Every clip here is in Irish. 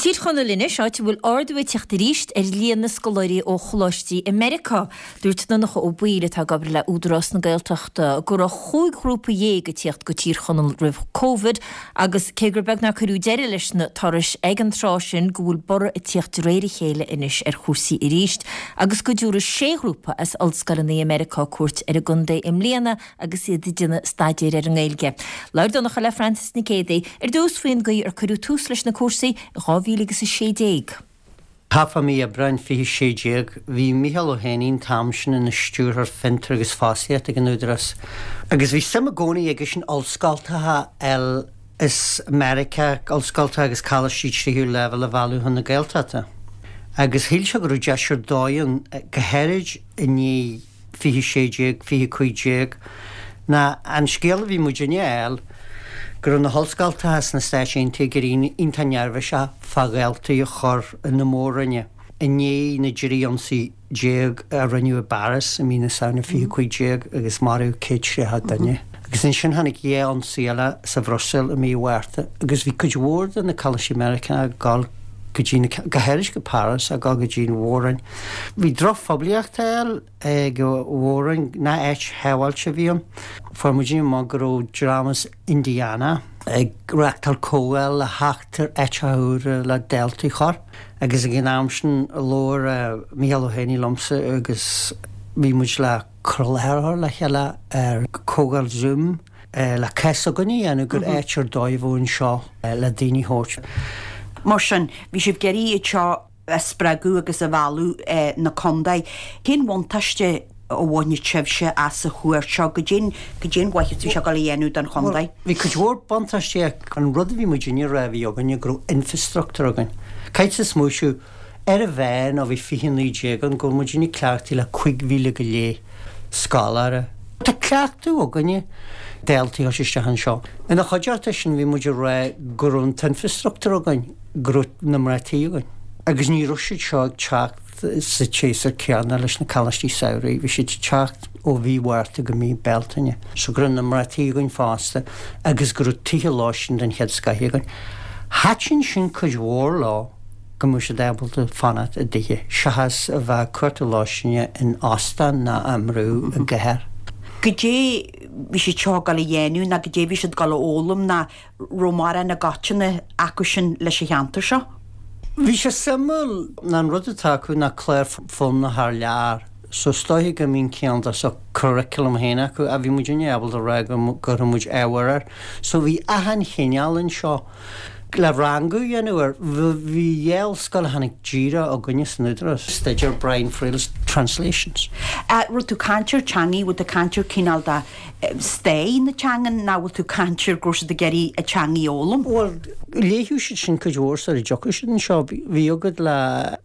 Tír Chonaill anois, áit a bhfuil ardú ag teacht arís ar líon na scoláirí ó choláistí i Meiriceá. Dúirt Donncha Ó Baoill, atá ag obair le Údarás na Gaeltachta, go raibh chúig ghrúpa dhéag ag tíocht go Tír Chonaill roimh Covid agus cé gur beag nár cuireadh deireadh leis na turais ag an tráth sin go bhfuil borradh ag tíocht de réir a chéile anois ar chúrsaí arís agus go dtabharfaidh sé ghrúpa as ollscoileanna i Meiriceá cuairt ar an gcontae i mbliana agus iad ag déanamh staidéir ar an nGaeilge. Labhair Donncha le Frances Nic Géadaigh ar dtús faoin gcaoi ar cuireadh tús leis na cúrsaí i 2016. Thart fá mí Aibreáin 2016, bhí Mícheál Ó hÉanaí an t-am sin ina Stiúrthóir Fiontar agus Fostaíochta ag an Údarás, agus bhí suim i gcónaí aigesean ollscoltacha eile as Meiriceá, ollscoltacha agus coláistí tríú leibhéal a mhealladh chun na Gaeltachta. Agus shíl sé go raibh deis ar dóigh ann, go háirid i ndiaidh 2016, 2015, ná an scéal a bhí muidinne a fháil go raibh na hollscoltacha sna Stáit Aontaithe ag éirí iontach neirbhíseach fá Ghaeltaí a chur na mór-roinne i ndiaidh na dtrí ionsaí a rinneadh i bPáras i mí na Samhna 2015 agus maraíodh 130 duine. Agus ansin tháinig dhá ionsaí eile sa Bhruiséil i mí Mhárta agus bhí cuid mhór de na coláistí Meiriceánacha ag dul go dtí na, go háirid go Páras, ag dul go dtí an Mhór-Roinn. Bhí drochphoiblíocht á fháil ag an Mhór-Roinn, nach áit shábháilte a bhí ann. Fuair muidinne amach go raibh dream as Indiana ag reachtáil comhdháil le theacht ar áiteacha úra le daltaí a chur agus ag an am sin labhair Mícheál Ó hÉanaí liomsa agus bhí muid le cur i láthair a chur le chéile ar comhdháil Zoom le cás s'againne a dhéanamh gur áit ar dóigh a bheadh anseo le daoine a thabhairt. Mar sin, bhí sibh ag iarraidh iad seo a spreagadh agus a mhealladh 'na contae. Cén bhuntáiste a bhainfidh sibhse as an chuairt seo? Goidé an mhaitheas a bhí sé ag dul a dhéanamh don chontae? Bhí cuid mhór buntáistí ach an rud a bhí muidinne a rá a bhí againne go raibh infrastruchtúr againn. Caithfidh tú smaoitiú ar a mheán ó bhí 2019 ann go bhfuil muidinne cleachtaithe le 5,000 go leith scoláire. Tá cleachtadh againne daltaí a thabhairt isteach anseo. Ina chuideachta sin bhí muid ag rá go raibh an t-infrastruchtúr againn, go raibh na mná tí againn. Agus ní raibh siad seo ag teacht sa tséasúr céanna leis na coláistí samhraidh, bhí siad ag teacht ó mhí Mhárta go mí Bealtaine. So go raibh na mná tí againn fosta agus go raibh tithe lóistín den chéad scoith againn. Thaitin sin cuid mhór leo. go mbeadh siad ábalta fanacht i dtithe, seachas a bheith ag cuartú lóistíne in óstán ná á mbrú i gcathair. Goidé bhí siad seo ag dul a dhéanamh ná goidé bhí siad ag dul a fhoghlaim ná raibh mórán i gcoitinne acu sin leis an cheantar seo. Bhí sé suimiúil ná an rud atá acu ná clár foghlama thar lear so is dóiche go mbíonn cineál de sort curriculum féin acu ach bhí muidinne ábalta a rá go gcuirfeadh muid ábhar air so bhí achan chineál anseo. Le rangú a dhéanamh air, bhí dhá ollscoil a tháinig díreach chugainne san Údarás, staidéar Brian Friel's Translations. Raibh tú ag caint ar teangaidh, bhfuil tú ag caint ar cineál de staid na teangan nó bhfuil tú ag caint ar go raibh siad ag iarraidh an teangaidh a fhoghlaim? Bhuel, léifeadh siad sin cuid mhór sar a dtiocfadh siad anseo. Bhí agat le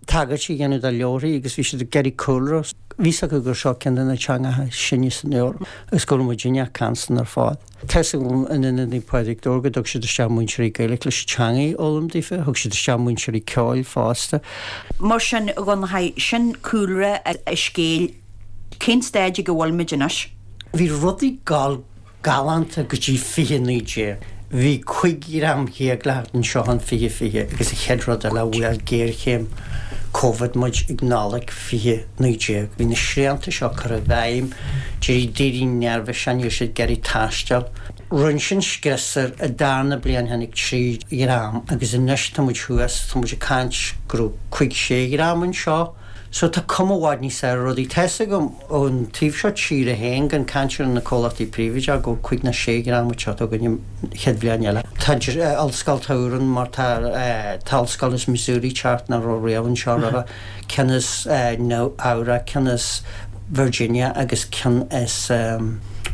tagairtí a dhéanamh do leabharthaí agus bhí siad ag iarraidh cúlra. Bhí 's acu gur seo ceann de na teangacha is sine san Eoraip agus go raibh muidinne ag caint san ar fad. Tá 's agam in Ionad Naomh Pádraig Dobhair go dtug siad isteach múinteoirí Gaeilge leis an teangaidh a fhoghlaim daofa, thug siad isteach múinteoirí ceoil fosta. Mar sin, a Dhonnchaidh, sin cúlra an scéil. Cén staid ag a bhfuil muid anois? Bhí rudaí ag gabháil galánta go dtí 2019. Bhí 15 dhream le theacht anseo in 2020 agus an chéad rud eile bhuail géarchéim Covid muid ag Nollaig 2019. Bhí na srianta seo curtha i bhfeidhm, d'éirigh daoine neirbhíseach, ní raibh siad ag iarraidh taisteal. Rinne sin scrios air, an darna bliain tháinig 3 dhream agus anois tá muid thuas, tá muid ag caint go raibh cúig sé dhream anseo. So tá cuma i bhfad níos fearr ar rudaí. Tá 'fhios agam ón taobh seo tíre féin, gan caint ar na comhlachtaí príobháideacha, go bhfuil cúig nó sé dhream ag teacht chugainn an chéad bhliain eile. Tá ollscoil úr ann mar tá tá ollscoil as Missouri ag teacht nach raibh riamh anseo roimhe, ceann as Nua Eabhrac, ceann as Virginia agus ceann as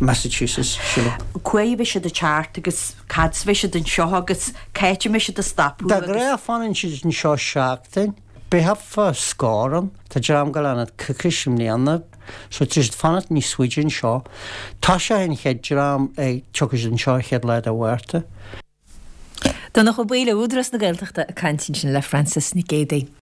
Massachusetts, sílim. Cá huair a bheidh siad ag teacht agus cad 's bheidh siad anseo agus cá háit a mbeidh siad ag stopadh De agus. ghnáth fanann siad anseo seachtain. Beidh thart fá scór ann. Tá dream ag gabháil a fhanacht coicís i mbliana so tá siad ag fanacht níos faide anseo. Toiseoidh an chéad dream ag tiocfaidh siad anseo an chéad lá de Mhárta. Donncha Ó Baoill ó Údarás na Gaeltachta ag caint ansin le Frances Nic Géadaigh.